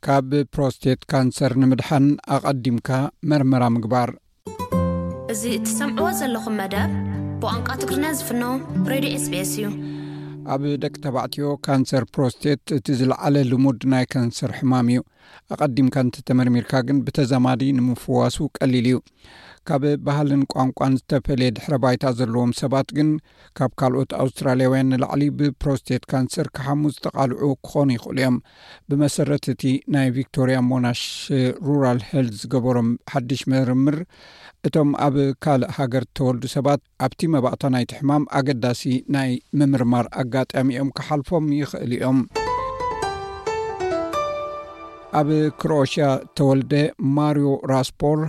ካብ ፕሮስቴት ካንሰር ንምድሓን ኣቐዲምካ መርመራ ምግባር። እዚ እትሰምዕዎ ዘለኹም መደብ ብቋንቋ ትግርኛ ዝፍኖ ሬድዮ ኤስቢኤስ እዩ። ኣብ ደቂ ተባዕትዮ ካንሰር ፕሮስቴት እቲ ዝለዓለ ልሙድ ናይ ካንሰር ሕማም እዩ። ኣቐዲምካ እንተተመርሚርካ ግን ብተዛማዲ ንምፍዋሱ ቀሊል እዩ። ካብ ባህልን ቋንቋን ዝተፈልየ ድሕረ ባይታ ዘለዎም ሰባት ግን ካብ ካልኦት ኣውስትራልያውያን ንላዕሊ ብፕሮስቴት ካንሰር ክሓሙ ዝተቓልዑ ክኾኑ ይኽእሉ እዮም። ብመሰረት እቲ ናይ ቪክቶሪያ ሞናሽ ሩራል ሄልዝ ዝገበሮም ሓድሽ ምርምር፣ እቶም ኣብ ካልእ ሃገር ዝተወልዱ ሰባት ኣብቲ መባእታ ናይቲ ሕማም ኣገዳሲ ናይ ምምርማር ኣጋጣሚኦም ክሓልፎም ይኽእል እዮም። ኣብ ክሮኤሽያ ተወልደ ማሪዮ ራስፖር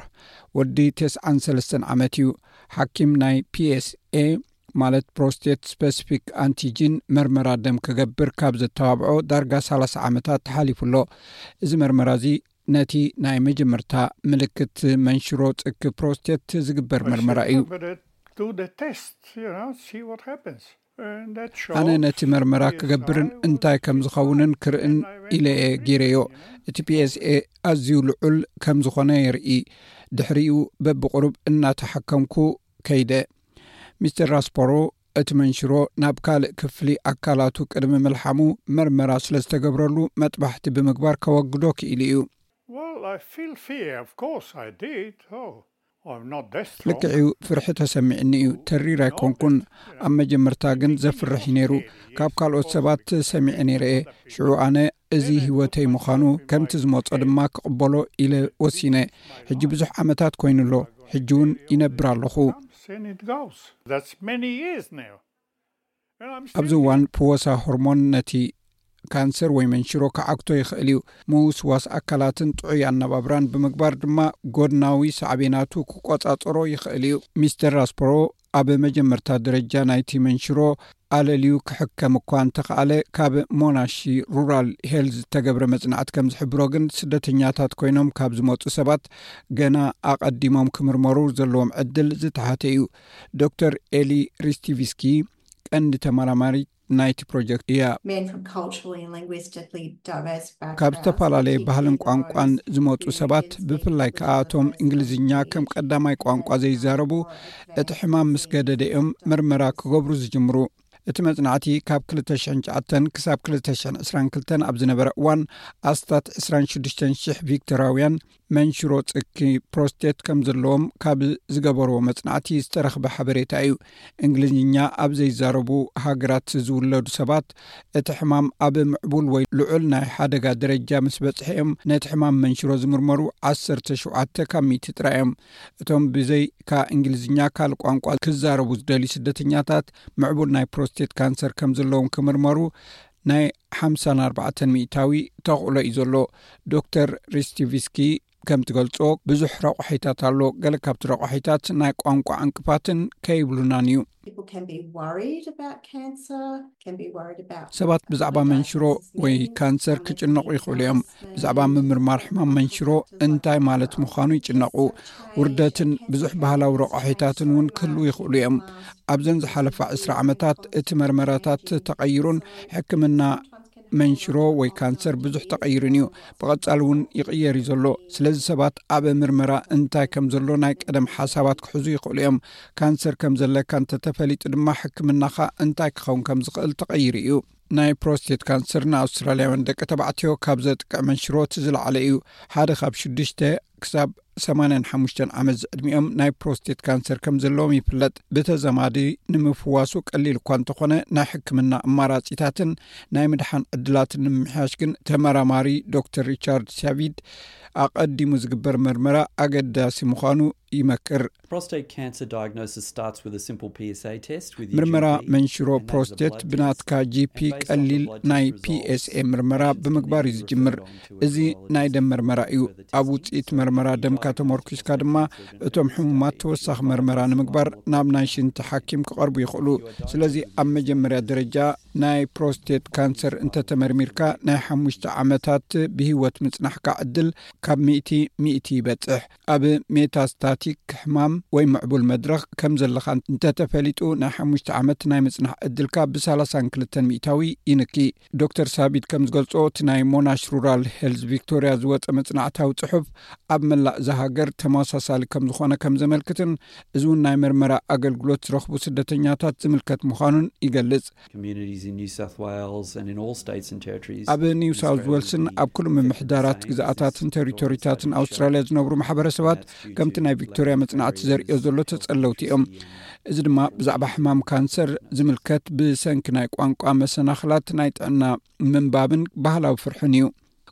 ወዲ ተስዓን ሰለስተን ዓመት እዩ። ሓኪም ናይ ፒኤስኤ ማለት ፕሮስቴት ስፐሲፊክ ኣንቲጂን መርመራ ደም ክገብር ካብ ዘተባብዖ ዳርጋ ሰላሳ ዓመታት ተሓሊፉ ኣሎ። እዚ መርመራ እዚ ነቲ ናይ መጀመርታ ምልክት መንሽሮ ጽኪ ፕሮስቴት ዝግበር መርመራ እዩ። ኣነ ነቲ መርመራ ክገብርን እንታይ ከም ዝኸውንን ክርእን ኢለ እየ ገይረዮ። እቲ ፒኤስኤ ኣዝዩ ልዑል ከም ዝኾነ የርኢ። ድሕሪኡ በብቕሩብ እናተሓከምኩ ከይደ። ሚስተር ራስፖሮ እቲ መንሽሮ ናብ ካልእ ክፍሊ ኣካላቱ ቅድሚ ምልሓሙ መርመራ ስለ ዝተገብረሉ መጥባሕቲ ብምግባር ከወግዶ ክኢሉ እዩ። Well, I feel fear, of course I did. Oh, I'm not that strong. ልክዕዩ፣ ፍርሒ ተሰሚዕኒ እዩ። ተሪር ኣይኮንኩን። ኣብ መጀመርታ ግን ዘፍርሕ እዩ ነይሩ። ካብ ካልኦት ሰባት ሰሚዐ ነይረ እየ። ሽዑ ኣነ እዚ ህይወተይ ምዃኑ ከምቲ ዝመጾ ድማ ክቕበሎ ኢለ ወሲነ። ሕጂ ብዙሕ ዓመታት ኮይኑ ኣሎ። ሕጂ እውን ይነብር ኣለኹ። And it goes. That's many years now. And I'm ኣብዚ still እዋን ፍወሳ ሆርሞን ነቲ ካንሰር ወይ መንሽሮ ክዓግቶ ይኽእል እዩ። ምውስዋስ ኣካላትን ጥዑይ ኣነባብራን ብምግባር ድማ ጎድናዊ ሳዕቤናቱ ክቆጻጸሮ ይኽእል እዩ። ሚስተር ራስፖሮ ኣብ መጀመርታ ደረጃ ናይቲ መንሽሮ ኣለልዩ ክሕከም እኳ እንተኸኣለ፣ ካብ ሞናሺ ሩራል ሄልዝ ዝተገብረ መጽናዕቲ ከም ዝሕብሮ ግን ስደተኛታት ኮይኖም ካብ ዝመጹ ሰባት ገና ኣቐዲሞም ክምርመሩ ዘለዎም ዕድል ዝተሓተ እዩ። ዶክተር ኤሊ ሪስቲቪስኪ ቀንዲ ተመራማሪ ናይቲ ፕሮጀክት እያ። Men from culturally and linguistically diverse backgrounds. ካብ ዝተፈላለየ ባህልን ቋንቋን ዝመፁ ሰባት፣ ብፍላይ ከዓ እቶም እንግሊዝኛ ከም ቀዳማይ ቋንቋ ዘይዛረቡ፣ እቲ ሕማም ምስ ገደደኦም ምርመራ ክገብሩ ዝጅምሩ። እቲ መጽናዕቲ ካብ ክልተ ሽሕን ትሽዓተን ክሳብ ክልተ ሽሕን ዕስራን ክልተን ኣብ ዝነበረ እዋን፣ ኣስታት ዕስራን ሽዱሽተን ሽሕ ቪክቶራውያን መንሽሮ ጽኪ ፕሮስቴት ከም ዘለዎም ካብ ዝገበርዎ መጽናዕቲ ዝተረኽበ ሓበሬታ እዩ። እንግሊዝኛ ኣብ ዘይዛረቡ ሃገራት ዝውለዱ ሰባት፣ እቲ ሕማም ኣብ ምዕቡል ወይ ልዑል ናይ ሓደጋ ደረጃ ምስ በጽሐ እዮም ነቲ ሕማም መንሽሮ ዝምርመሩ ዓሰርተ ሸውዓተ ካብ ሚእቲ ጥራይ እዮም። እቶም ብዘይካ እንግሊዝኛ ካልእ ቋንቋ ክዛረቡ ዝደልዩ ስደተኛታት፣ ምዕቡል ናይ ፕሮስቴት ካንሰር ከም ዘለዎም ክምርመሩ ናይ ሓምሳን ኣርባዕተን ሚእታዊ ተኽእሎ እዩ ዘሎ። ዶክተር ሪስቲቪስኪ ከም ትገልጾ፣ ብዙሕ ረቋሒታት ኣሎ። ገለ ካብቲ ረቋሒታት ናይ ቋንቋ ዕንቅፋትን ከይብሉናን እዩ። People can be worried about cancer, can be worried about ሰባት ብዛዕባ መንሽሮ ወይ ካንሰር ክጭነቑ ይኽእሉ እዮም። ብዛዕባ ምምርማር ሕማም መንሽሮ እንታይ ማለት ምዃኑ ይጭነቑ። ውርደትን ብዙሕ ባህላዊ ረቋሒታትን እውን ክህልዉ ይኽእሉ እዮም። ኣብዘን ዝሓለፋ ዕስራ ዓመታት እቲ መርመራታት ተቐይሩን ሕክምና መንሽሮ ወይ ካንሰር ብዙሕ ተቐይሩን እዩ። ብቐጻሊ እውን ይቕየር እዩ ዘሎ። ስለዚ ሰባት ኣብ ምርመራ እንታይ ከም ዘሎ ናይ ቀደም ሓሳባት ክሕዙ ይኽእሉ እዮም። ካንሰር ከም ዘለካ እንተተፈሊጡ ድማ ሕክምናኻ እንታይ ክኸውን ከም ዝኽእል ተቐይሩ እዩ። ናይ ፕሮስቴት ካንሰር ንኣውስትራልያውያን ደቂ ተባዕትዮ ካብ ዘጥቅዕ መንሽሮ እቲ ዝለዓለ እዩ። ሓደ ካብ ሽዱሽተ ክሳብ ሰማንያን ሓሙሽተን ዓመት ዝዕድሚኦም ናይ ፕሮስቴት ካንሰር ከም ዘለዎም ይፍለጥ። ብተዘማዲ ንምፍዋሱ ቀሊል እኳ እንተኾነ፣ ናይ ሕክምና ኣማራጺታትን ናይ ምድሓን ዕድላትን ንምምሕያሽ ግን ተመራማሪ ዶክተር ሪቻርድ ሳቪድ ኣቐዲሙ ዝግበር መርመራ ኣገዳሲ ምዃኑ ይመክር። Prostate cancer diagnosis starts with a simple P S A test with ምርመራ መንሽሮ ፕሮስቴት ብናትካ ጂፒ ቀሊል ናይ ፒኤስኤ ምርመራ ብምግባር እዩ ዝጅምር። እዚ ናይ ደም መርመራ እዩ። ኣብ ውፅኢት መርመራ ደምካ ተመርኩስካ ድማ እቶም ሕሙማት ተወሳኺ መርመራ ንምግባር ናብ ናይ ሽንቲ ሓኪም ክቐርቡ ይኽእሉ። ስለዚ ኣብ መጀመርያ ደረጃ ናይ ፕሮስቴት ካንሰር እንተተመርሚርካ፣ ናይ ሓሙሽተ ዓመታት ብህይወት ምጽናሕካ ዕድል ካብ ሚእቲ ሚእቲ ይበጽሕ። ኣብ ሜታስታቲክ ሕማም ወይ ምዕቡል መድረኽ ከም ዘለኻ እንተተፈሊጡ፣ ናይ ሓሙሽተ ዓመት ናይ ምጽናሕ ዕድልካ ብ32 ሚእታዊ ይንኪ። ዶክተር ሳቢት ከም ዝገልጾ፣ እቲ ናይ ሞናሽ ሩራል ሄልዝ ቪክቶሪያ ዝወጸ መጽናዕታዊ ጽሑፍ፣ ኣብ መላእ እዛ ሃገር ተመሳሳሊ ከም ዝኾነ ከም ዘመልክትን፣ እዚ እውን ናይ መርመራ ኣገልግሎት ዝረኽቡ ስደተኛታት ዝምልከት ምዃኑን ይገልጽ። Communities in New South Wales and in all states and territories. ኣብ ኒው ሳውዝ ዌልስን ኣብ ኩሉ ምምሕዳራት ግዝኣታትን ቴሪቶሪታትን ኣውስትራልያ ዝነብሩ ማሕበረሰባት፣ ከምቲ ናይ ቪክቶሪያ መጽናዕቲ ዘርእዮ ዘሎ፣ ተጸለውቲ እዮም። እዚ ድማ ብዛዕባ ሕማም ካንሰር ዝምልከት፣ ብሰንኪ ናይ ቋንቋ መሰናኽላት ናይ ጥዕና ምንባብን ባህላዊ ፍርሕን እዩ።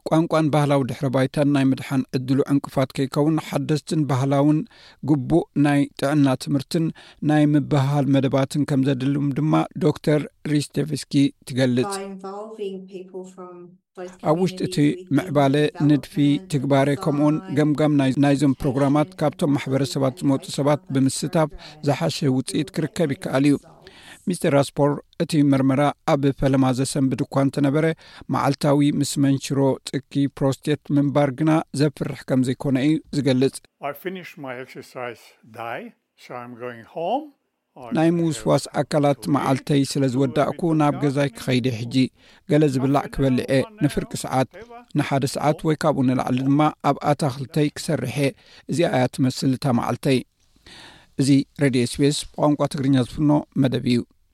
ቋንቋን ባህላዊ ድሕረ ባይታን ናይ ምድሓን ዕድሉ ዕንቅፋት ከይከውን፣ ሓደስትን ባህላውን ግቡእ ናይ ጥዕና ትምህርትን ናይ ምብህሃል መደባትን ከም ዘድልም ድማ ዶክተር ሪስቴቭስኪ ትገልጽ። By involving people from both ኣብ ውሽጢ እቲ communities within ምዕባለ፣ development ንድፊ፣ ትግባረ፣ ከምኡውን by ገምጋም ናይ- ናይዞም ፕሮግራማት ካብቶም ማሕበረሰባት ዝመፁ ሰባት ብምስታፍ ዝሓሸ ውፅኢት ክርከብ ይከኣል እዩ። ሚስተር ራስፖር፣ እቲ መርመራ ኣብ ፈለማ ዘሰንብድ እኳ እንተነበረ፣ መዓልታዊ ምስ መንሽሮ ጽኪ ፕሮስቴት ምንባር ግና ዘፍርሕ ከም ዘይኮነ እዩ ዝገልጽ። I finished my exercise day, so I'm going home. I ናይ have ምውስዋስ a ኣካላት drink, መዓልተይ ስለ ዝወዳእኩ፣ ናብ ገዛይ ክኸይድ እየ። ሕጂ ገለ ዝብላዕ ክበልዕ እየ። ንፍርቂ ሰዓት፣ ንሓደ ሰዓት ወይ ካብኡ ንላዕሊ ድማ ኣብ ኣታኽልተይ ክሰርሕ እየ። እዚኣ እያ ትመስል እታ መዓልተይ። እዚ ሬድዮ ኤስቢኤስ ብቋንቋ ትግርኛ ዝፍኖ መደብ እዩ።